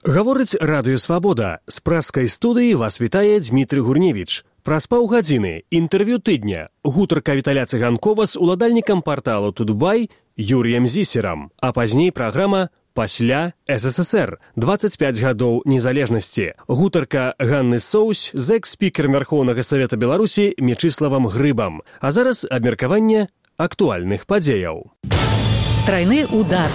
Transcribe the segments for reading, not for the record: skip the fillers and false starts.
Гаворыць Радыё Свабода. З праскай студыі вас вітае Дмітрый Гурневіч. Праз паўгадзіны інтэрв'ю тыдня. Гутарка Віталя Цыганкова з уладальнікам парталу Тутбай Юрыем Зісерам. А пазней праграма «Пасля СССР. 25 гадоў незалежнасці». Гутарка Ганны Соусь з экс-спікерам Вярхоўнага Савета Беларусі Мечыславам Грыбам. А зараз абмеркаванне актуальных падзеяў. Трайны удар.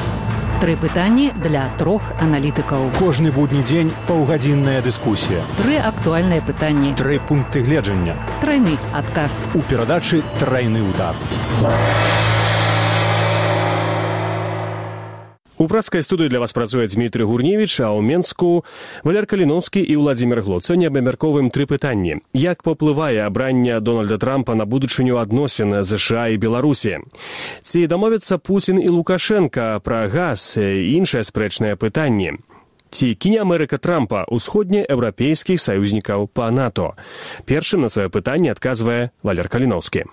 3 пытанні для 3 аналітыкаў. Кожны будні дзень паўгадзінная дыскусія. 3 актуальныя пытанні. 3 пункты гледжання. Трайны адказ. У перадачы «Трайны удар». У праскай студыі для вас працуе Дмітрый Гурневіч, а ў Менску Валер Каліноўскі і Владзімір Глот. Сёння абмяркоўваем 3 пытанні. Як паўплывае абранне Дональда Трампа на будучыню адносін США і Беларусі? Ці дамовяцца Пуцін і Лукашенка пра газ і іншыя спрэчныя пытанні? Ці кіне Амерыка Трампа ўсходнееўрапейскіх саюзнікаў па НАТО? Першым на сваё пытанне адказвае Валер Каліноўскі.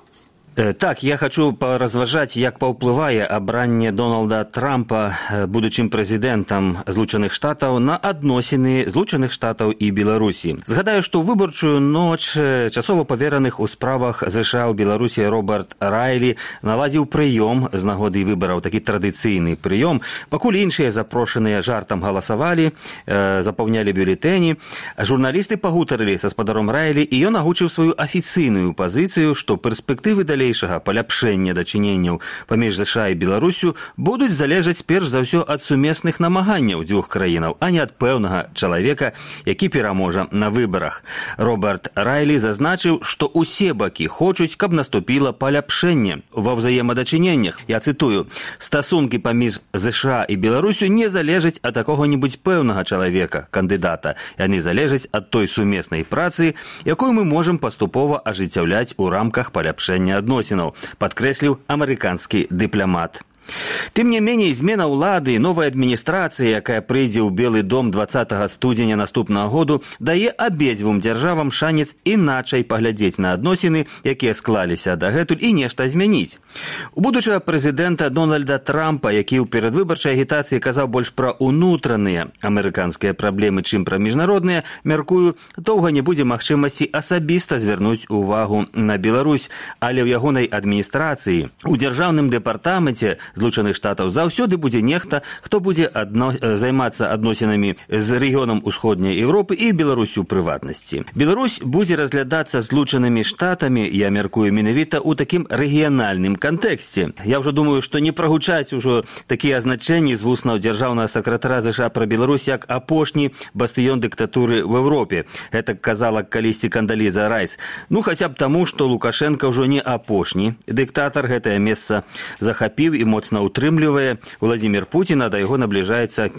Так, я хочу поразважаць, як паўплывае абранне Дональда Трампа будучым прэзідэнтам Злучаных Штатаў на адносіны Злучаных Штатаў і Беларусі. Згадаю, што ў выбарчую ноч часова павераных у справах ЗША ў Беларусі Роберт Райлі наладзіў прыём з нагоды выбараў, такі традыцыйны прыём. Пакуль іншыя запрошаныя жартам галасавалі, запаўнялі бюлетэні, журналісты пагутарылі са спадаром Райлі, і ён агучыў сваю афіцыйную пазіцыю, што перспектывы паляпшэння дачыненняў паміж ЗША і Беларусю будуць залежаць перш за ўсё ад сумесных намаганняў дзвюх краінаў, а не ад пэўнага чалавека, які пераможа на выбарах. Роберт Райлі зазначыў, што ўсе бакі хочуць, каб наступіла паляпшэнне ва ўзаемадачыненнях. Я цытую: «Стасункі паміж ЗША і Беларусю не залежаць ад какога-нибудь пэўнага чалавека, кандыдата. Яны залежаць ад той сумеснай працы, якую мы можам паступова ажыццяўляць у рамках паляпшэння адносінаў», падкрэсліў амерыканскі дыпламат. Тым не меней, змена ўлады, новая адміністрацыя, якая прыйдзе ў Белы дом 20 студзеня наступнага году, дае абедзвюм дзяржавам шанец іначай паглядзець на адносіны, якія склаліся дагэтуль, і нешта змяніць. У будучага прэзідэнта Дональда Трампа, які ў перадвыбарчай агітацыі казаў больш пра ўнутраныя амерыканскія праблемы, чым пра міжнародныя, мяркую, доўга не будзе магчымасці асабіста звярнуць увагу на Беларусь, але ў ягонай адміністрацыі, у дзяржаўным дэпартаменце Злучаных Штатаў заўсёды будзе нехта, хто будзе займацца адносінамі з рэгіёнам Усходняй Еўропы і Беларусю ў прыватнасці. Беларусь будзе разглядацца Злучанымі Штатамі, я мяркую, менавіта ў такім рэгіянальным кантэксце. Я ўжо думаю, што не прагучаць ужо такія азначэнні з вуснаў дзяржаўнага сакратара ЗША пра Беларусь як апошні бастыён дыктатуры ў Еўропе. Гэта казала калісьці Кандаліза Райс. Ну, хаця б таму, што Лукашенка ўжо не апошні дыктатар, гэтае месца захапіў і моцна утрымлівае Владзімір Пуцін, а да яго набліжаецца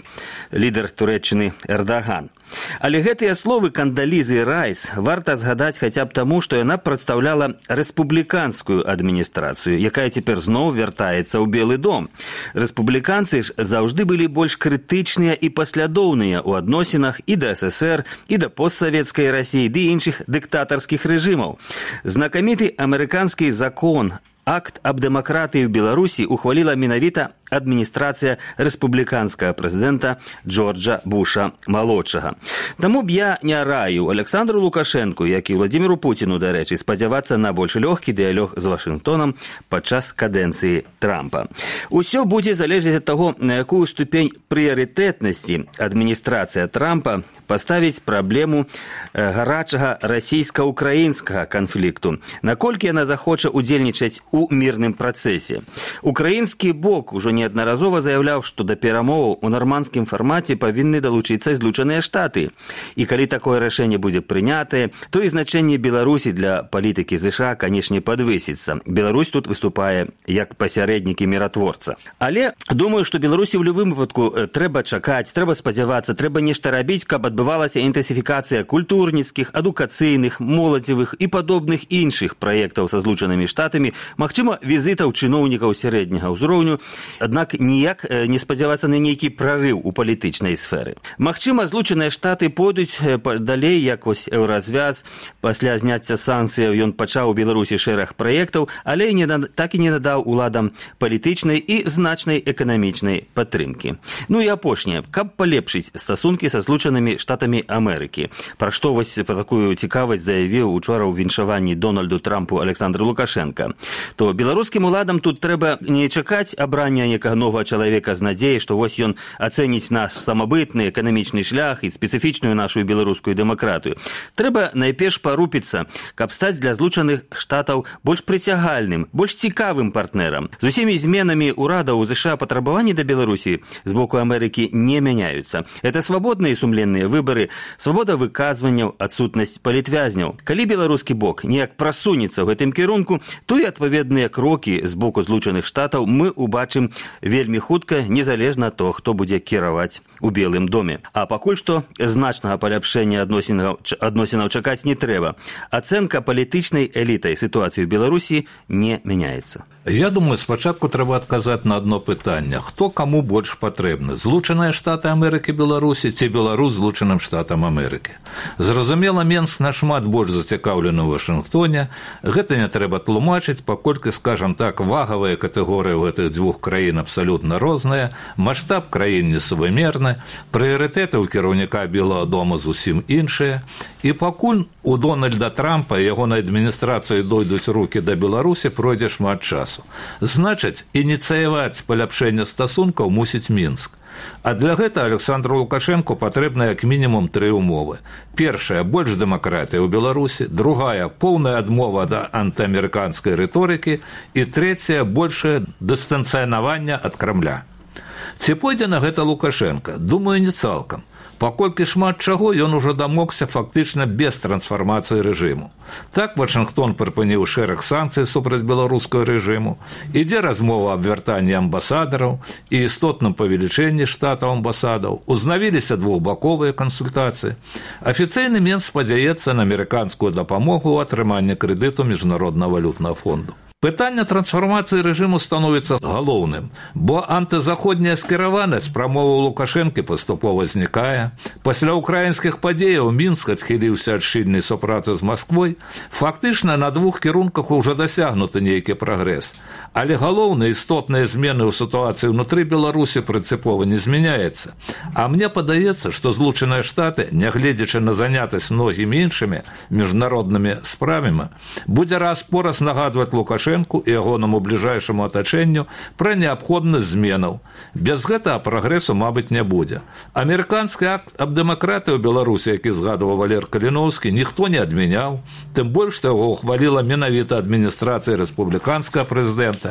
лідар Турэччыны Эрдаган. Але гэтыя словы Кандалізы Райс варта згадаць хаця б таму, што яна прадстаўляла рэспубліканскую адміністрацыю, якая цяпер зноў вяртаецца ў Белы дом. Рэспубліканцы ж заўжды былі больш крытычныя і паслядоўныя ў адносінах і да СССР, і да постсавецкай Расіі, ды іншых дыктатарскіх рэжымаў. Знакаміты амерыканскі закон Акт аб дэмакратыі ў Беларусі ухваліла менавіта адміністрацыя рэспубліканскага прэзідэнта Джорджа Буша малодшага. Таму б я не раю Александру Лукашэнку, як і Владзіміру Пуціну, дарэчы, спадзявацца на больш лёгкі дыялог з Вашынгтонам падчас кадэнцыі Трампа. Усё будзе залежаць ад таго, на якую ступень прыярытэтнасці адміністрацыя Трампа паставіць праблему гарачага расійска-украінскага канфлікту, наколькі яна захоча удзельнічаць у мірным працэсе. Украінскі бок ужо неаднаразова заяўляў, што да перамоваў у нармандскім фармаце павінны далучыцца Злучаныя Штаты. І калі такое рашэнне будзе прынятае, то і значэнне Беларусі для палітыкі ЗША, канешне, падвысіцца. Беларусь тут выступае як пасярэднік і міратворца. Але думаю, што Беларусі ў любым выпадку трэба чакаць, трэба спадзявацца, трэба нешта рабіць, каб адбывалася інтэнсіфікацыя культурніцкіх, адукацыйных, моладзевых і падобных іншых праектаў са Злучанымі Штатамі, магчыма, візітаў чыноўнікаў сярэдняга ўзроўню. аднак ніяк не спадзявацца на нейкі прарыў у палітычнай сферы. Магчыма, Злучаныя Штаты пойдуць далей, як вось еўразвяз. Пасля зняцця санкцыяў ён пачаў у Беларусі шэраг праектаў, але так і не надаў уладам палітычнай і значнай эканамічнай падтрымкі. Ну і апошняе, каб палепшыць стасункі са Злучанымі Штатамі Амерыкі, пра што вось пра такую цікавасць заявіў учора ў віншаванні Дональду Трампу Александр Лукашенко, то беларускім уладам тут трэба не чакаць абрання некага новага чалавека з надзеяй, што вось ён ацэніць наш самабытны эканамічны шлях і спецыфічную нашу беларускую дэмакратыю. Трэба найперш парупіцца, каб стаць для Злучаных Штатаў больш прыцягальным, больш цікавым партнерам. З усімі зменамі ўрадаў у ЗША патрабаванні да Беларусі з боку Амерыкі не мяняюцца. Это свабодныя і сумленныя выбары, свабода выказванняў, адсутнасць палітвязняў. Калі беларускі бок неяк прасунецца ў гэтым кірунку, то і адпаведныя крокі з боку Злучаных Штатаў мы убачым вельмі хутка, незалежна ад того, хто будзе кіраваць у Белым доме. А пакуль што значнага паляпшэння адносінаў чакаць не трэба. Ацэнка палітычнай элітай сітуацыі ў Беларусі не мяняецца. Я думаю, спачатку трэба адказаць на одно пытанне. Хто каму больш патрэбны? Злучаныя Штаты Амерыкі Беларусі ці Беларусь Злучаным Штатам Амерыкі? Зразумела, Менск нашмат больш зацікаўлены ў Вашынгтоне. Гэта не трэба тлумачыць, паколькі, скажам так, вагавыя катэгорыі ў гэтых дзвюх краін абсалютна розныя, маштаб краін несувымерны, прыярытэты ў кіраўніка Белага дома зусім іншыя. І пакуль у Дональда Трампа і ягонай адміністрацыі дойдуць рукі да Беларусі, пройдзе шмат часу. Значыць, ініцыяваць паляпшэнне стасункаў мусіць Мінск. А для гэта Александру Лукашенку патрэбна як мінімум 3 умовы. Першая – больш дэмакратыя ў Беларусі, другая – поўная адмова ад антыамерыканскай рыторыкі і трэцяя – большае дыстанцыянаванне ад Крамля. Ці пойдзе на гэта Лукашенка? Думаю, не цалкам. Паколькі шмат чаго ён ужо дамогся фактычна без трансфармацыі рэжыму. Так Вашынгтон прыпыніў шэраг санкцый супраць беларускага рэжыму, ідзе размова аб вяртанні амбасадараў і істотным павелічэнні штатаў амбасадаў, узнавіліся двухбаковыя кансультацыі. Афіцыйны Менск спадзяецца на амерыканскую дапамогу ў атрыманні крэдыту Міжнароднага валютнага фонду. Пытанне трансфармацыі рэжыму становіцца галоўным, бо антызаходняя скіраванасць прамоваў Лукашэнкі паступова знікае. Пасля ўкраінскіх падзеяў Мінск адхіліўся ад шчыльнай супрацы з Масквой. Фактычна на 2 кірунках ужо дасягнуты нейкі прагрэс. Але галоўныя істотныя змены ў сітуацыі ўнутры Беларусі прынцыпова не змяняецца. А мне падаецца, што Злучаныя Штаты, нягледзячы на занятасць многімі іншымі міжнароднымі справамі, будзе раз-пораз нагадваць Лукашэнку і ягонаму бліжэйшаму атачэнню пра неабходнасць зменаў. Без гэтага прагрэсу, мабыць, не будзе. Амерыканскі акт аб дэмакратыі ў Беларусі, які згадваў Валер Каліноўскі, ніхто не адмяняў, тым больш, што яго ухваліла менавіта адміністрацыя рэспубліканскага прэзідэнта.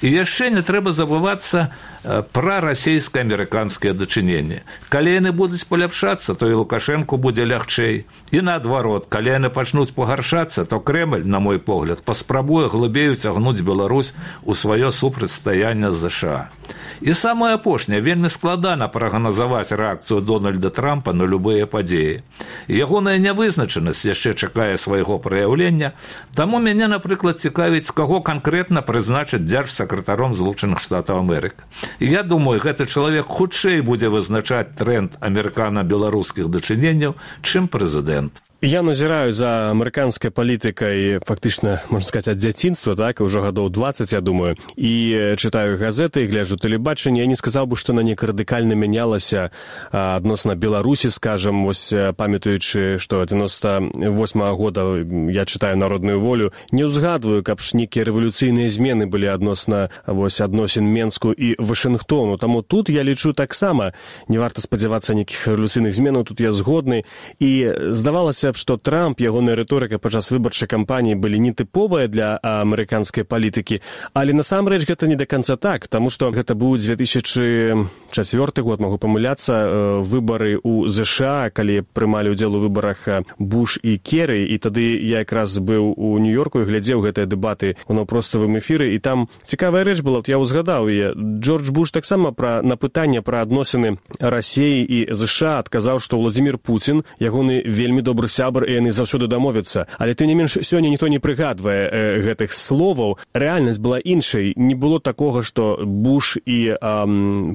І яшчэ не трэба забывацца пра расійска-амерыканскія дачыненні. Калі яны будуць паляпшацца, то і Лукашэнку будзе лягчэй. І наадварот, калі яны пачнуць пагаршацца, то Крэмль, на мой погляд, паспрабуе глыбей уцягнуць Беларусь у сваё супрацьстаянне з ЗША. І самае апошняе, вельмі складана прагназаваць рэакцыю Дональда Трампа на любыя падзеі. Ягоная нявызначанасць яшчэ чакае свайго праяўлення, таму мяне, напрыклад, цікавіць, каго канкрэтна прызначыць дзяржсакратаром Злучаных Штатаў Амерыкі. Я думаю, гэты чалавек хутчэй будзе вызначаць трэнд амерыкана-беларускіх дачыненняў, чым прэзідэнт. Я назіраю за амерыканскай палітыкай фактычна, можна сказаць, ад дзяцінства, так, ўжо гадоў 20, я думаю, і чытаю газеты, гляджу тэлебачанне. Я не сказаў бы, што на неяк радыкальна мянялася адносна Беларусі, скажам, вось памятаючы, што 98-го года я чытаю «Народную волю», не ўзгадваю, каб ж нейкія рэвалюцыйныя змены былі адносна вось адносін Менску і Вашынгтону. Таму тут я лічу таксама, не варта спадзявацца нейкіх рэвалюцыйных зменаў, тут я згодны. І здавалася, што Трамп, ягоная рыторыка падчас выбарчай кампаніі былі нетыповыя для амерыканскай палітыкі, але насамрэч гэта не да канца так, таму што гэта быў 2004 год, магу памыляцца, выбары ў ЗША, калі прымалі ўдзел у выбарах Буш і Керрі, і тады я якраз быў у Нью-Йорку і глядзеў гэтыя дэбаты ў наўпроставым эфіры, і там цікавая рэч была, я ўзгадаў яе. Джордж Буш таксама на пытанне пра адносіны Расіі і ЗША адказаў, што Владзімір Пуцін, ягоны вельмі добры сябар, сябр, і яны заўсёды дамовяцца. Але тым не менш, сёння ніхто не прыгадвае гэтых словаў. Рэальнасць была іншай. Не было такога, што Буш і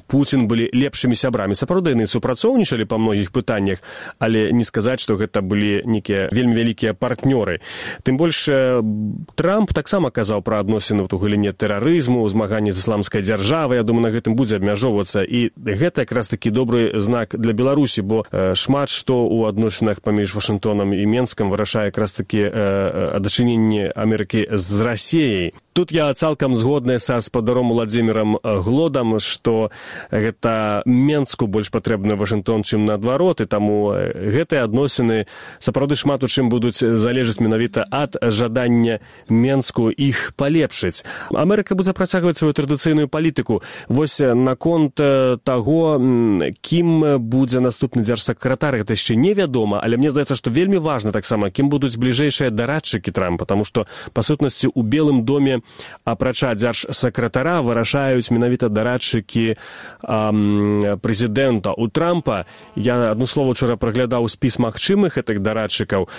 Пуцін былі лепшымі сябрамі. Сапраўды, яны супрацоўнічалі па многіх пытаннях, але не сказаць, што гэта былі нейкія вельмі вялікія партнёры. Тым больш, Трамп таксама казаў пра адносіны ў галіне тэрарызму, змаганні з ісламскай дзяржавай. Я думаю, на гэтым будзе абмяжоўвацца. І гэта якраз такі добры знак для Беларусі, бо шмат што ў адносінах паміж Вашынгтонам і Менскам вырашае якраз такі дачыненне Амерыкі з Расіяй. Тут я цалкам згодны са спадаром Уладзімірам Глодам, што гэта Менску больш патрэбны Вашынгтон, чым наадварот, і таму гэтыя адносіны сапраўды шмат у чым будуць залежаць менавіта ад жадання Менску іх палепшыць. Амерыка будзе працягваць сваю традыцыйную палітыку. Вось наконт таго, кім будзе наступны дзяржсакратар, гэта яшчэ невядома, але мне здаецца, што вельмі важна таксама, кім будуць бліжэйшыя дарадчыкі Трампа, таму што, па сутнасці, у Белым доме апрача дзяржсакратара вырашаюць менавіта дарадчыкі прэзідэнта. У Трампа, я адно слово учора праглядаў спіс магчымых гэтых дарадчыкаў,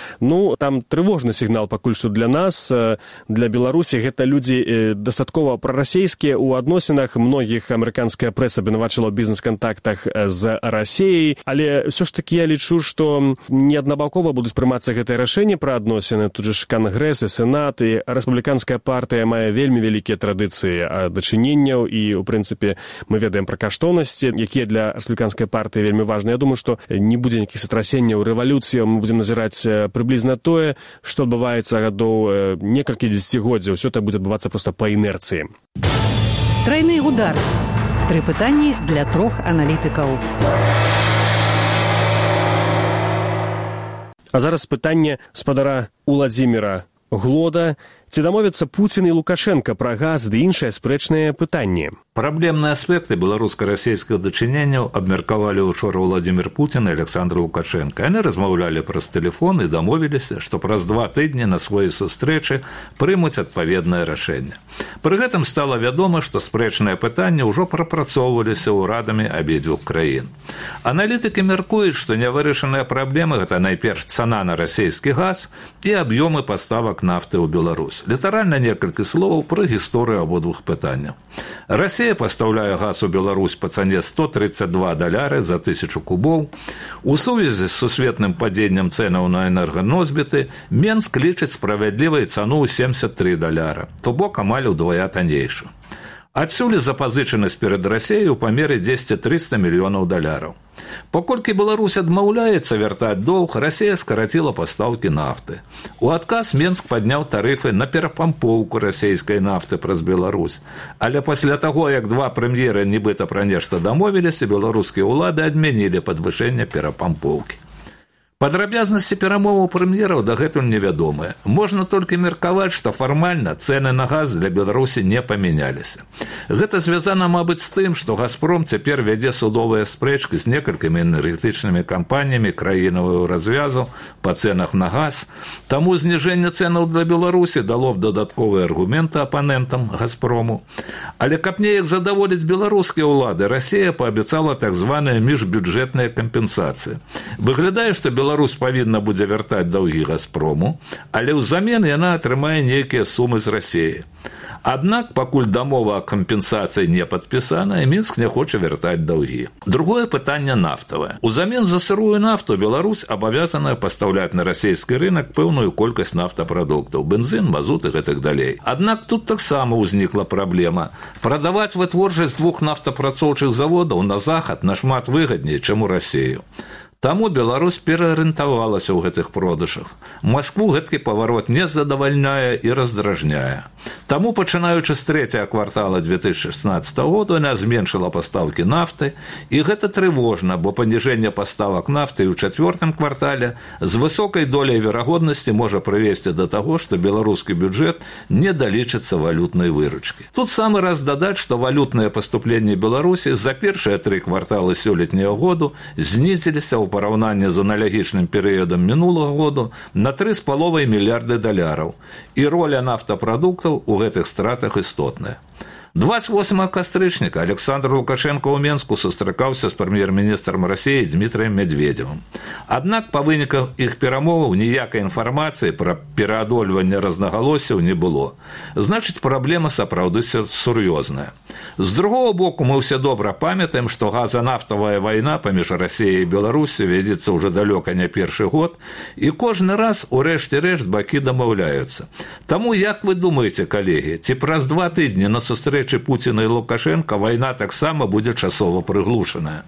там трывожны сігнал пакуль што для нас, для Беларусі. Гэта людзі дастаткова прарасейскія ў адносінах. Многіх амерыканская прэса абвінавачыла ў бізнес-кантактах з Расіяй, але ўсё ж такі я лічу, што неаднабакова будуць прымацца гэтыя рашэнні пра адносіны. Тут жа Кангрэс і Сенат, і рэспубліканская партыя мае вельмі вялікія традыцыі дачыненняў, і, у прынцыпе, мы ведаем пра каштоўнасці, якія для рэспубліканскай партыі вельмі важныя. Я думаю, што не будзе нейкіх страсенняў, рэвалюцыяў, мы будзем назіраць прыблізна тое, што адбываецца гадоў некалькі дзесяцігоддзяў. Усё это будзе адбывацца проста па інерцыі. Трайны удар. 3 пытанні для 3 аналітыкаў. А зараз пытанне спадара Уладзіміра Глода. Ці дамовяцца Пуцін і Лукашенка пра газ ды іншыя спрэчныя пытанні? Праблемныя аспекты беларуска-расійскіх дачыненняў абмеркавалі учора Владзімір Пуцін і Александр Лукашенко. Яны размаўлялі праз тэлефон і дамовіліся, што праз 2 тыдні на сваёй сустрэчы прымуць адпаведнае рашэнне. Пры гэтым стала вядома, што спрэчныя пытанні ўжо прапрацоўваліся ўрадамі абедзвюх краін. Аналітыкі мяркуюць, што нявырашаныя праблемы – гэта найперш цана на расійскі газ і аб'ёмы паставак нафты ў Беларусь. Літаральна некалькі словаў пра гісторыю абодвух пытанняў. Расія пастаўляе газ у Беларусь па цане $132 за 1000 кубоў. У сувязі з сусветным падзеннем цэнаў на энерганосьбіты Менск лічыць справядлівай цану ў $73, то бок амаль удвая таннейшую. Адсюль запазычанасць перад Расіяй у памеры $200-300 мільёнаў. Паколькі Беларусь адмаўляецца вяртаць доўг, Расія скараціла пастаўкі нафты. У адказ Менск падняў тарыфы на перапампоўку расійскай нафты праз Беларусь. Але пасля таго, як 2 прэм'еры нібыта пра нешта дамовіліся, беларускія ўлады адмянілі падвышэнне перапампоўкі. Падрабязнасці перамоваў прэм'ераў дагэтуль невядомыя. Можна толькі меркаваць, што фармальна цэны на газ для Беларусі не памяняліся. Гэта звязана, мабыць, з тым, што «Газпром» цяпер вядзе судовыя спрэчкі з некалькімі энергетычнымі кампаніямі краінавага развязу па цэнах на газ. Таму зніжэнне цэнаў для Беларусі дало б дадатковыя аргументы апанентам «Газпрому». Але каб неяк задаволіць беларускія ўлады, Расія паабяцала так званыя міжбюджэтныя кампенсацыі. Выглядае, што Беларусь павінна будзе вяртаць даўгі «Газпрому», але ўзамен яна атрымае нейкія сумы з Расіі. Аднак, пакуль дамова о кампенсацыі не падпісана, Мінск не хоча вяртаць даўгі. Другое пытанне нафтавае. Узамен за сырую нафту Беларусь абавязаная пастаўляць на расійскі рынак пэўную колькасць нафтапрадуктаў, бензін, мазут і гэтак далей. Аднак тут таксама ўзнікла праблема. Прадаваць вытворчасць 2 нафтапрацоўчых заводаў на захад нашмат выгадней, чым у Расію. Таму Беларусь пераарыентавалася ў гэтых продажах. Маскву гэткі паварот не задавальняе і раздражняе. Таму, пачынаючы з 3-го квартала 2016 года, яна зменшыла пастаўкі нафты, і гэта трывожна, бо паніжэнне паставак нафты ў 4-м квартале з высокай доляй верагоднасці можа прывесці да таго, што беларускі бюджэт не далічыцца валютнай выручкі. Тут самы раз дадаць, што валютныя паступленні Беларусі за першыя 3 кварталы сёлетняга году знізіліся ў параўнанні з аналагічным перыядам мінулага году на $3,5 мільярды, і роля нафтапрадуктаў у гэтых стратах істотная. 28 кастрычніка Александр Лукашенко ў Менску сустракаўся з прэм'ер-міністрам Расіі Дмітрыем Медведевым. Аднак па выніках іх перамоваў ніякай інфармацыі пра пераадольванне рознагалоссяў не было. Значыць, праблема сапраўды сур'ёзная. З другого боку, мы ўсе добра памятаем, што газанафтавая вайна паміж Расіяй і Беларусю вядзецца ўжо далёка не першы год, і кожны раз у рэшце-рэшт бакі дамаўляюцца. Таму, як вы думаеце, калегі, ці праз 2 тыдні на сустрэчы Пуціна і Лукашенка вайна таксама будзе часова прыглушаная?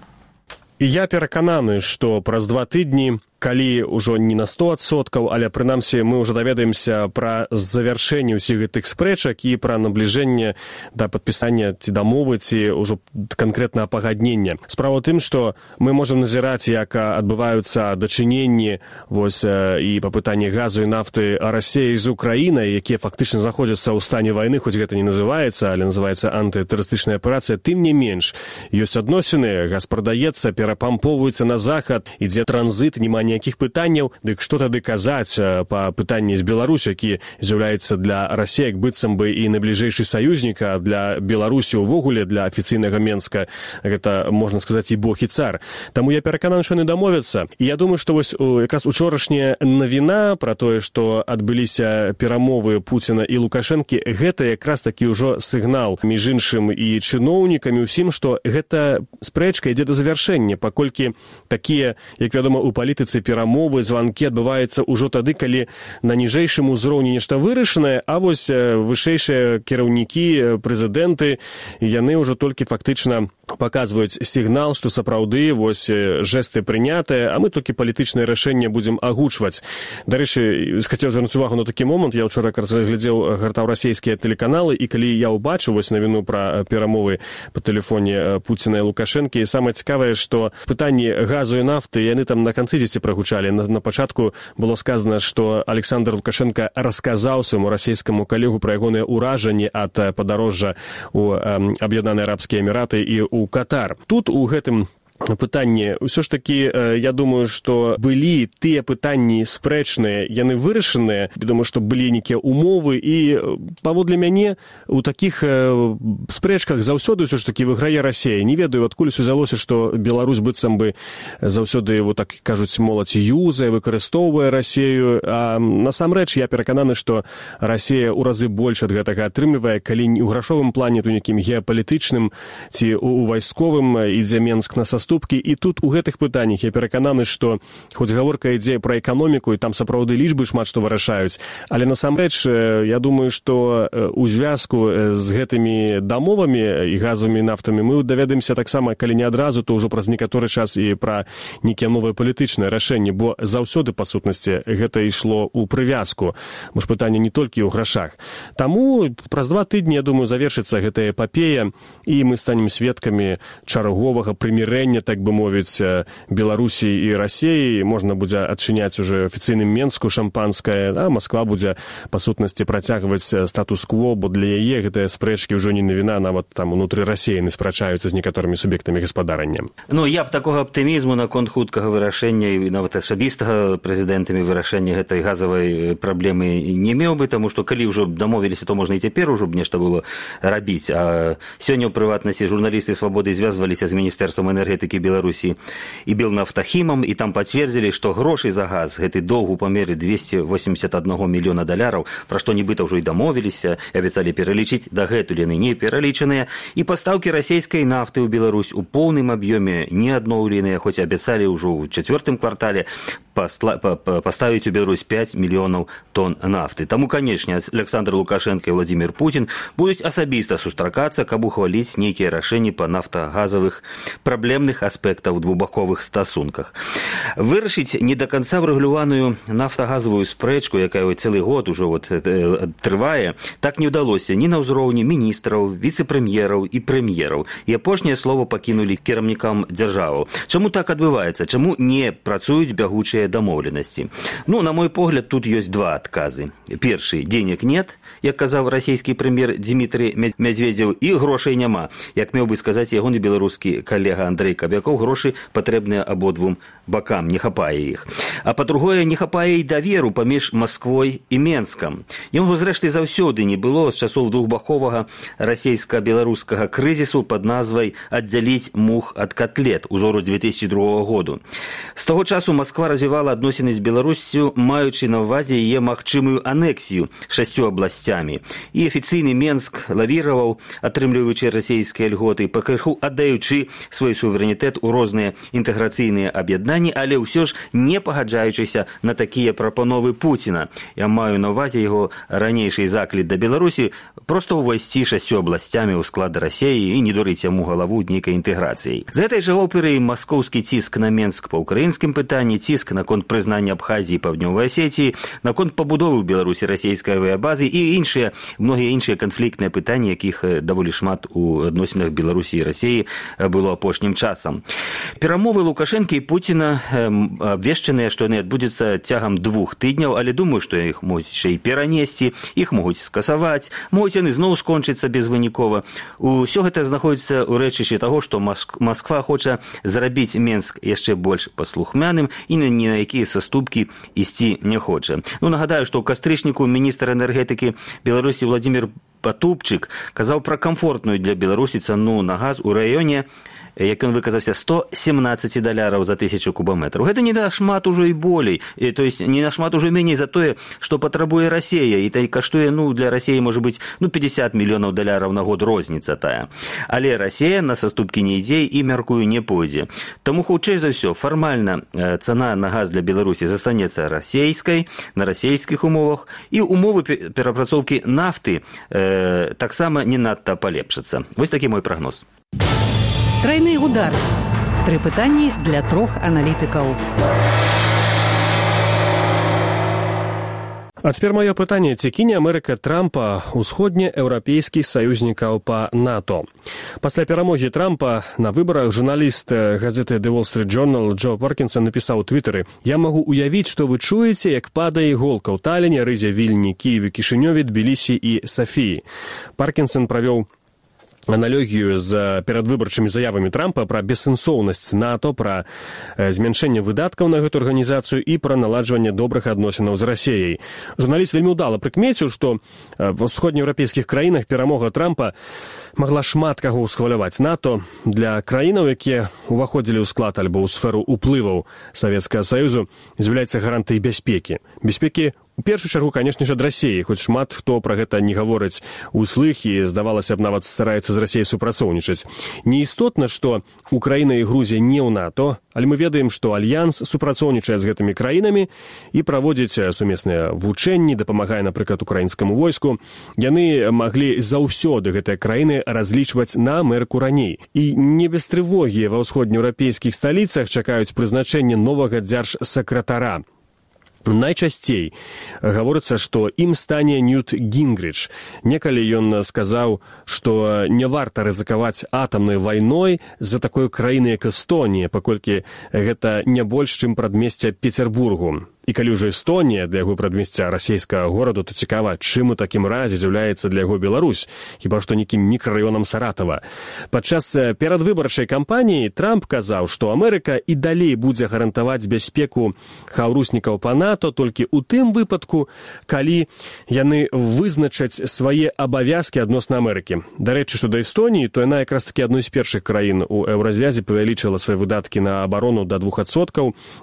Я перакананы, што праз 2 тыдні, калі ўжо не на 100%, але прынамсі мы ўжо даведаемся пра завяршэнне ўсіх гэтых спрэчак і пра набліжэнне да падпісання ці дамовы, ці ўжо канкрэтнага пагаднення. Справа ў тым, што мы можам назіраць, як адбываюцца дачыненні і па пытанні газу і нафты Расіі з Украінай, якія фактычна знаходзяцца ў стане вайны, хоць гэта не называецца, але называецца антытэрарыстычная аперацыя. Тым не менш, ёсць адносіны, газ прадаецца, перапампоўваецца на захад, ідзе транзіт, няма ніякіх пытанняў, дык што тады казаць па пытанні з Беларусю, які з'яўляецца для Расіі як быццам бы і найбліжэйшы саюзнік, а для Беларусі ўвогуле, для афіцыйнага Менска, гэта, можна сказаць, і бог і цар. Таму я перакананы, што яны дамовяцца. І я думаю, што вось якраз учорашняя навіна пра тое, што адбыліся перамовы Пуціна і Лукашэнкі, гэта якраз такі ўжо сігнал між іншым і чыноўнікамі ўсім, што гэта спрэчка ідзе да завяршэння, паколькі такія, як вядома, у палітыцы перамовы, званкі адбываюцца ўжо тады, калі на ніжэйшым узроўні нешта вырашанае, а вось вышэйшыя кіраўнікі, прэзідэнты, яны ўжо толькі фактычна паказваюць сігнал, што сапраўды вось жэсты прынятыя, а мы толькі палітычнае рашэнне будзем агучваць. Дарэчы, хацеў звярнуць увагу на такі момант. Я ўчора глядзеў, гартаў расійскія тэлеканалы, і калі я ўбачыў вось навіну пра перамовы па тэлефоне Пуціна і Лукашэнкі, і самае цікавае, што пытанні газу і нафты, яны там на канцы дзесьці прагучалі. На пачатку было сказана, што Александр Лукашенко расказаў свайму расійскаму калегу пра ягоныя ўражанні ад падарожжа ў Аб'яднаныя Арабскія Эміраты і ў Катар. Тут у гэтым пытанні ўсё ж такі, я думаю, што былі тыя пытанні спрэчныя, яны вырашаныя, думаю, што былі нейкія умовы, і паводле мяне у такіх спрэчках заўсёды ўсё ж такі выйграе Расія. Не ведаю, адкуль узялося, што Беларусь быццам бы заўсёды, вот так кажуць, моладзь юзае, выкарыстоўвае Расію, а насамрэч я перакананы, што Расія ў разы больш ад гэтага атрымлівае, калі не ў грашовым плане, то нейкім геапалітычным ці у вайсковым ідзе Менск на саступкі. І тут у гэтых пытаннях я перакананы, што хоць гаворка ідзе пра эканоміку, і там сапраўды лічбы шмат што вырашаюць, але насамрэч я думаю, што у звязку з гэтымі дамовамі і газавымі нафтамі мы даведаемся таксама, калі не адразу, то ўжо праз некаторы час і пра нейкія новыя палітычныя рашэнні, бо заўсёды, па сутнасці, гэта ішло ў прывязку. Бо ж пытанне не толькі ў грашах. Таму праз 2 тыдні, я думаю, завершыцца гэтая эпапея, і мы станем сведкамі чарговага прымірэння, так бы мовіць, Беларусі і Расіі. Можна будзе адчыняць уже афіцыйным Менску шампанскае, а Масква будзе, па сутнасці, працягваць статус-кво, бо для яе гэтыя спрэчкі ўжо не навіна, нават там унутры Расіі спрачаюцца з некаторымі суб'ектамі гаспадарання. Ну, я б такога аптымізму наконт хуткага вырашэння і нават асабістага прэзідэнтамі вырашэння гэтай газавай праблемы не меў бы, таму што калі ўжо дамовіліся, то можна і цяпер ужо б нешта было рабіць. А сёння, ў прыватнасці, журналісты «Свабоды» звязваліся з Міністэрствам энергетыкі Беларусі і Белнафтахімам, і там пацвердзілі, што грошай за газ гэты доўг у памеры $281 мільёна, пра што нібыта ўжо і дамовіліся, і абяцалі пералічыць, дагэтуль яны не пералічаныя, і пастаўкі расійскай нафты ў Беларусь у поўным аб'ёме не адноўленыя, хоць абяцалі ўжо ў 4-м квартале паставіць у Беларусь 5 мільёнаў тонн нафты. Таму, канечне, Александр Лукашенко і Владимир Путин будуць асабіста сустракацца, каб ухваліць нейкія рашэнні па нафтагазавых праблемных аспектаў двухбаковых стасунках. Вырашыць не да канца врэгуляваную нафтагазавую спрэчку, якая цэлы год ужо трывае, так не ўдалося ні на ўзроўні міністраў, віцэ-прэм'ераў і прэм'ераў. І апошняе слово пакінулі кіраўнікам дзяржаваў. Чаму так адбываецца? Чаму не працуюць бягучыя дамоўленасці? Ну, на мой погляд, тут ёсць два адказы. Першы, денег нет, як казаў расійскі прэм'ер Дмітрый Медведев, і грошай няма, як меў бы сказаць ягоны беларускі калега Андрэй Кабякоў, грошы патрэбныя абодвум бакам не хапае іх. А па-другое, не хапае і даверу паміж Масквой і Менскам. Яму, зрэшты, заўсёды не было з часоў двухбаковага расійска-беларускага крызісу пад назвай «Аддзяліць мух ад котлет» узору 2002 году. З таго часу Масква развівала адносіны з Беларуссю, маючы на ўвазе яе магчымую анексію 6 абласцямі. І афіцыйны Менск лавіраваў, атрымліваючы расійскія льготы, пакрыху аддаючы свой суверэнітэт у розныя інтэграцыйныя аб'яднанні, але ўсё ж не пагаджаючыся на такія прапановы Пуціна. Я маю на ўвазе яго ранейшы заклік да Беларусі проста ўвайсці 6 абласцямі ў склад Расіі і не дурыць яму галаву нейкай інтэграцыяй. З гэтай жа оперы маскоўскі ціск на Менск па ўкраінскім пытанні, ціск наконт прызнання Абхазіі і Паўднёвай Асетіі, наконт пабудовы ў Беларусі расійскай авіябазы і многія іншыя канфліктныя пытанні, якіх даволі шмат у адносінах Беларусі і Расіі было апошнім часам. Перамовы Лукашэнкі і Пуціна абвешчаныя, што яны адбудзяцца цягам 2 тыдняў, але думаю, што іх могуць яшчэ і перанесці, іх могуць скасаваць, могуць яны зноў скончыцца безвынікова. Усё гэта знаходзіцца ў рэчышчы таго, што Масква хоча зрабіць Менск яшчэ больш паслухмяным і ні на якія саступкі ісці не хоча. Нагадаю, што ў кастрычніку міністр энергетыкі Беларусі Владзімір Патупчык казаў пра камфортную для Беларусі цану на газ у раёне, як ён выказаўся, $117 за 1000 кубаметраў. Гэта не нашмат ужо і болей, то есть не нашмат ужо меней за тое, што патрабуе Расія, і каштуе, для Расіі, можа быць, $50 мільёнаў на год розніца тая. Але Расія на саступкі не ідзе і, мяркую, не пойдзе. Таму, хутчэй за ўсё, фармальна цана на газ для Беларусі застанецца расійскай, на расійскіх умовах, і умовы перапрацоўкі нафты таксама не надта палепшацца. Вось такі мой прагноз. Трайны удар. 3 пытанні для 3 аналітыкаў. А цяпер маё пытанне, ці кіне Амерыка Трампа ўсходнееўрапейскіх саюзнікаў па НАТО. Пасля перамогі Трампа на выбарах журналіст газеты The Wall Street Journal Джо Паркінсон напісаў у твітары: «Я магу уявіць, што вы чуеце, як падае іголка ў Таліне, Рызе, Вільні, Кіеве, Кішынёве, Тбілісі і Сафіі». Паркінсон правёў аналогію з перадвыбарчымі заявамі Трампа пра бессэнсоўнасць НАТО, пра змяншэнне выдаткаў на гэту арганізацыю і пра наладжванне добрых адносінаў з Расіяй. Журналіст вельмі ўдала прыкмеціў, што ва ўсходнееўрапейскіх краінах перамога Трампа магла шмат каго ўсхваляваць. НАТО для краінаў, якія ўваходзілі ў склад альбо ў сферу ўплываў Савецкага Саюзу, з'яўляецца гарантыяй бяспекі. Бяспекі у першую чаргу, канешне ж, ад Расіі, хоць шмат хто пра гэта не гаворыць услых і, здавалася б, нават стараецца з Расіяй супрацоўнічаць. Неістотна, што Украіна і Грузія не ў НАТО, але мы ведаем, што Альянс супрацоўнічае з гэтымі краінамі і праводзіць сумесныя вучэнні, дапамагае, напрыклад, украінскаму войску. Яны маглі заўсёды, гэтыя краіны, разлічваць на Амерыку раней. І не без трывогі ва ўсходнееўрапейскіх сталіцах чакаюць прызначэння новага дзяржсакратара. Найчасцей гаворыцца, што ім стане Ньют Гінгріч. Некалі ён сказаў, што не варта рызыкаваць атамнай вайной з-за такой краіны, як Эстонія, паколькі гэта не больш, чым прадмесце Петербургу. І калі ўжо Эстонія для яго прадмесця расійскага гораду, то цікава, чым у такім разе з'яўляецца для яго Беларусь, хіба што нейкім мікрараёнам Саратава. Падчас перадвыбарчай кампаніі Трамп казаў, што Амерыка і далей будзе гарантаваць бяспеку хаўруснікаў па НАТО толькі ў тым выпадку, калі яны вызначаць свае абавязкі адносна Амерыкі. Дарэчы, што да Эстоніі, то яна якраз такі адной з першых краін у еўразвязе павялічыла свае выдаткі на абарону да 2%.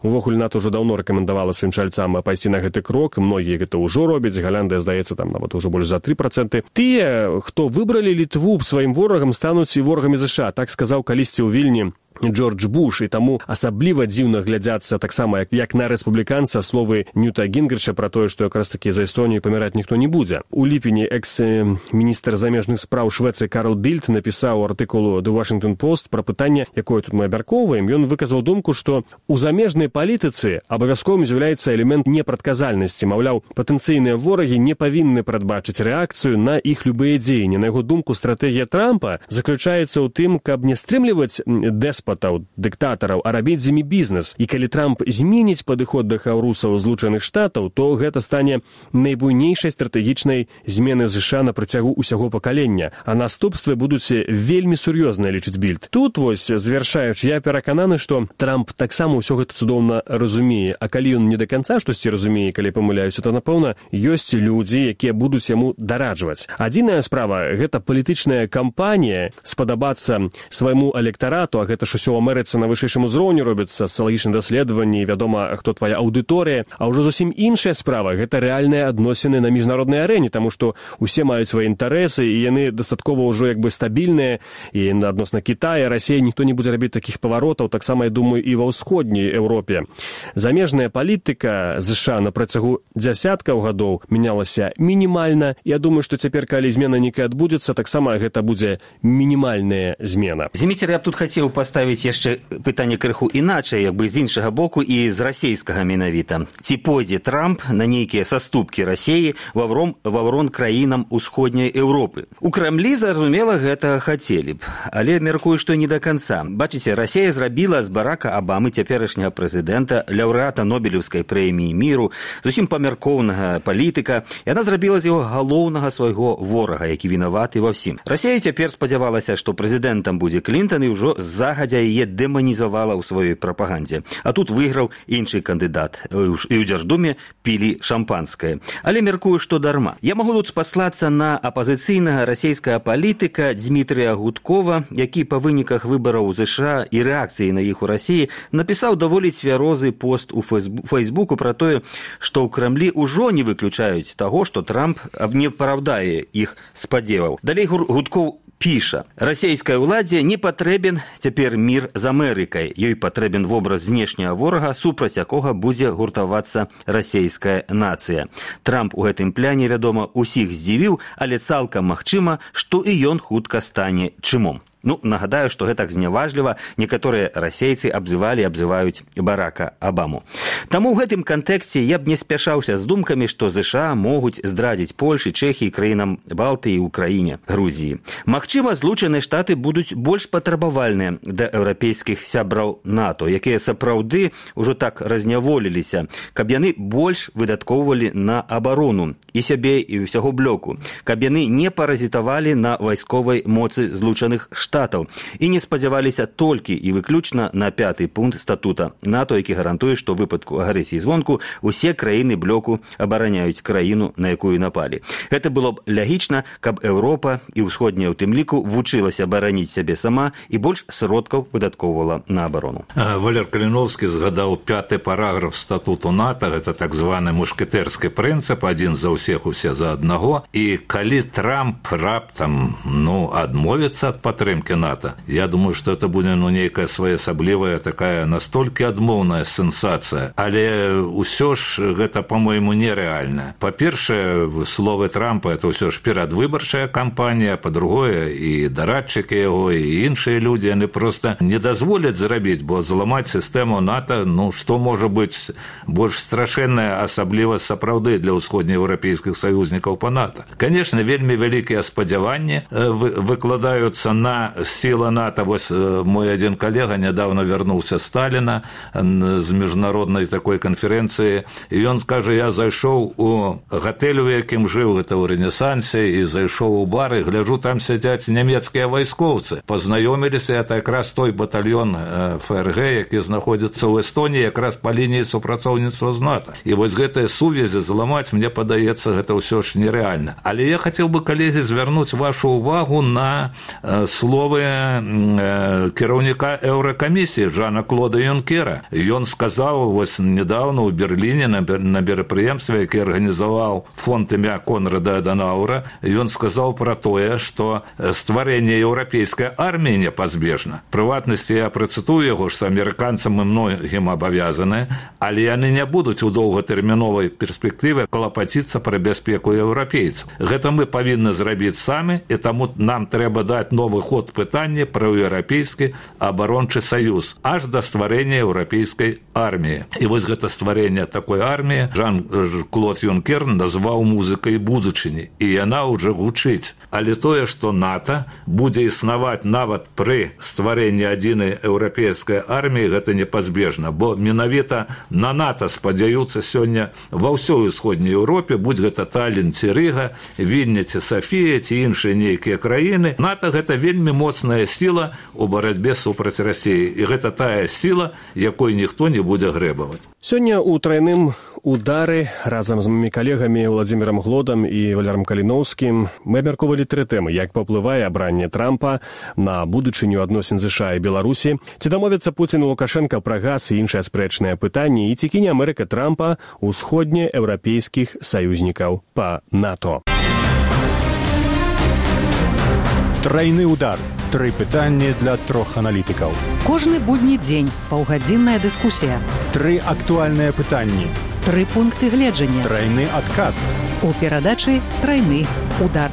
Увогуле НАТО ўжо даўно рэкамендавала сваім чальцам пайсці на гэты крок, многія гэта ўжо робяць, Галандыя, здаецца, там нават ужо больш за 3%. Тыя, хто выбралі Літву сваім ворагам, стануць і ворагамі ЗША, так сказаў калісьці ў Вільні Джордж Буш, і таму асабліва дзіўна глядзяцца таксама, як на рэспубліканца, словы Ньюта Гінгріча пра тое, што якраз такі за Эстонію паміраць ніхто не будзе. У ліпені экс-міністр замежных спраў Швецыі Карл Більд напісаў артыкулу The Washington Post пра пытанне, якое тут мы абмяркоўваем. Ён выказаў думку, што у замежнай палітыцы абавязковым з'яўляецца элемент непрадказальнасці. Маўляў, патэнцыйныя ворагі не павінны прадбачыць рэакцыю на іх любыя дзеянні. На яго думку, стратэгія Трампа заключаецца ў тым, каб не стрымліваць дэспата, деспатаў, дыктатараў, а рабіць з імі бізнес. І калі Трамп зменіць падыход да хаўрусаў Злучаных Штатаў, то гэта стане найбуйнейшай стратэгічнай зменай США на працягу ўсяго пакалення, а наступствы будуць вельмі сур'ёзныя, лічыць Більд. Тут вось, завяршаючы, я перакананы, што Трамп таксама ўсё гэта цудоўна разумее, а калі ён не да канца штосьці разумее, калі памыляюся, то, напэўна, ёсць людзі, якія будуць яму дараджваць. Адзіная справа – гэта палітычная кампанія, спадабацца свайму электарату, а гэта ж усё ў Амерыцы на вышэйшым узроўні робіцца, сацыялагічныя даследаванні, вядома, хто твая аўдыторыя, а ўжо зусім іншая справа – гэта рэальныя адносіны на міжнароднай арэне, таму што усе маюць свае інтарэсы, і яны дастаткова ўжо як бы стабільныя, і адносна Кітая, Расіі ніхто не будзе рабіць такіх паваротаў, таксама, я думаю, і ва ўсходняй Еўропе. Замежная палітыка США на працягу дзясяткаў гадоў мянялася мінімальна. Я думаю, што цяпер, калі змена нейкая адбудзецца, таксама гэта будзе мінімальная змена. Зіміцер, я б тут хацеў паставіць яшчэ пытанне крыху іначай, як бы з іншага боку і з расейскага менавіта. Ці пойдзе Трамп на нейкія саступкі Расіі ваврон краінам усходняй Еўропы? У Крамлі, зразумела, гэта хацелі б, але меркую, што не да канца. Бачыце, Расія зрабіла з Барака Абамы, цяперашняга прэзідэнта, лаўрэата Нобелеўскай прэміі міру, зусім памяркоўнага палітыка, і яна зрабіла з яго галоўнага свайго ворага, які вінаваты ва ўсім. Расія цяпер спадзявалася, што прэзідэнтам будзе Клінтан, і ўжо загадзя яе дэманізавала ў сваёй прапагандзе. А тут выйграў іншы кандыдат, і ў Дзярждуме пілі шампанскае. Але меркую, што дарма. Я магу тут спаслацца на апазіцыйнага расійскага палітыка Дмітрія Гудкова, які па выніках выбараў у США і рэакцыі на іх у Расіі напісаў даволі цвярозы пост у Фейсбуку пра тое, што ў Крамлі ўжо не выключаюць таго, што Трамп не апраўдае іх спадзеваў. Далей Гудкоў піша: расійскай уладзе не патрэбен цяпер мір з Амерыкай. Ёй патрэбен вобраз знешняга ворага, супраць якога будзе гуртавацца расійская нацыя. Трамп у гэтым пляне, вядома, усіх здзівіў, але цалкам магчыма, што і ён хутка стане чымом. Нагадаю, што гэтак зняважліва некаторыя расейцы абзываюць Барака Абаму. Таму ў гэтым кантэксце я б не спяшаўся з думкамі, што ЗША могуць здрадзіць Польшы, Чэхіі, краінам Балтыі, Украіне, Грузіі. Магчыма, Злучаныя Штаты будуць больш патрабавальныя да еўрапейскіх сябраў НАТО, якія сапраўды ўжо так разняволіліся, каб яны больш выдаткоўвалі на абарону і сябе, і ўсяго блоку, каб яны не паразітавалі на вайсковай моцы Злучаных Штатаў і не спадзяваліся толькі і выключна на 5-й пункт статута НАТО, які гарантуе, што ў выпадку агрэсіі звонку усе краіны блоку абараняюць краіну, на якую напалі. Гэта было б лягічна, каб Еўропа і ўсходняя ў тым ліку вучылася абараніць сябе сама і больш сродкаў выдаткоўвала на абарону. Валер Каліновскі згадаў 5-й параграф статуту НАТО, гэта так званы мушкетэрскі прынцып, адзін за ўсіх, усе за аднаго, і калі Трамп раптам адмовіцца ад падтрымкі НАТО, я думаю, што это будзе нейкая своеасаблівая такая настолькі адмоўная сенсацыя, але ўсё ж гэта, по-моему, нерэальна. Па-першае, словы Трампа это ўсё ж перадвыбарчая кампанія, па-другое, і дарадчыкі яго, і іншыя людзі, яны проста не дазволяць зрабіць, бо зламаць сістэму НАТО, што можа быць больш страшэннае, асабліва сапраўды для ўсходнееўрапейскіх саюзнікаў па НАТО. Канешне, вельмі вялікія спадзяванні выкладаюцца на сілы НАТО. Вось мой адзін калега нядаўна вярнуўся з Сталіна з міжнароднай такой канферэнцыі, і ён скажа: я зайшоў у гатэль, у якім жыў, гэта ў Рэнесансе, і зайшоў у бар, і гляджу, там сядзяць нямецкія вайскоўцы. Пазнаёміліся, это якраз той батальён ФРГ, які знаходзіцца ў Эстоніі, якраз па лініі супрацоўніцтва з НАТО. І вось гэтыя сувязі зламаць, мне падаецца, гэта ўсё ж нерэальна. Але я хацеў бы, калегі, звярнуць вашу ўвагу на словы кіраўніка Еўракамісіі Жана-Клода Юнкера. Ён сказаў вось недавно ў Берліне на мерапрыемстве, які арганізаваў фонд імя Конрада Аданауэра, ён сказаў пра тое, што стварэнне еўрапейскай арміі непазбежна. Прыватнасці, я працытую яго, што амерыканцам і многім абавязаны, але яны не будуць у доўгатэрміновай перспектыве клапаціцца пра бяспеку еўрапейцаў. Гэта мы павінны зрабіць самі, і таму нам трэба даць новы ход пункт пытання пра еўрапейскі абарончы саюз аж да стварэння еўрапейскай арміі. І вось гэта стварэнне такой арміі Жан-Клод Юнкер назваў музыкай будучыні, і яна ўжо гучыць. Але тое, што НАТО будзе існаваць нават пры стварэнні адзінай еўрапейскай арміі, гэта непазбежна, бо менавіта на НАТО спадзяюцца сёння ва ўсёй усходняй Еўропе, будь гэта Таллін ці Рыга, Вільня ці Сафія ці іншыя нейкія краіны. НАТО гэта вельмі моцная сіла у барацьбе супраць Расіі, і гэта тая сіла, якой ніхто не будзе грэбаваць. Сёння ў трайным удары разам з маімі калегамі Владзімірам Глодам і Валерам Каліноўскім мы абмяркоўвалі тры тэмы: як паўплывае абранне Трампа на будучыню адносін ЗША і Беларусі, ці дамовяцца Пуцін і Лукашенка пра газ і іншыя спрэчныя пытанні, і ці кіне Амерыка Трампа ўсходнееўрапейскіх саюзнікаў па НАТО. Трайны удар. Тры пытанні для трох аналітыкаў. Кожны будні дзень паўгадзінная дыскусія. Тры актуальныя пытанні. Тры пункты гледжання. Трайны адказ. У перадачы «Трайны удар».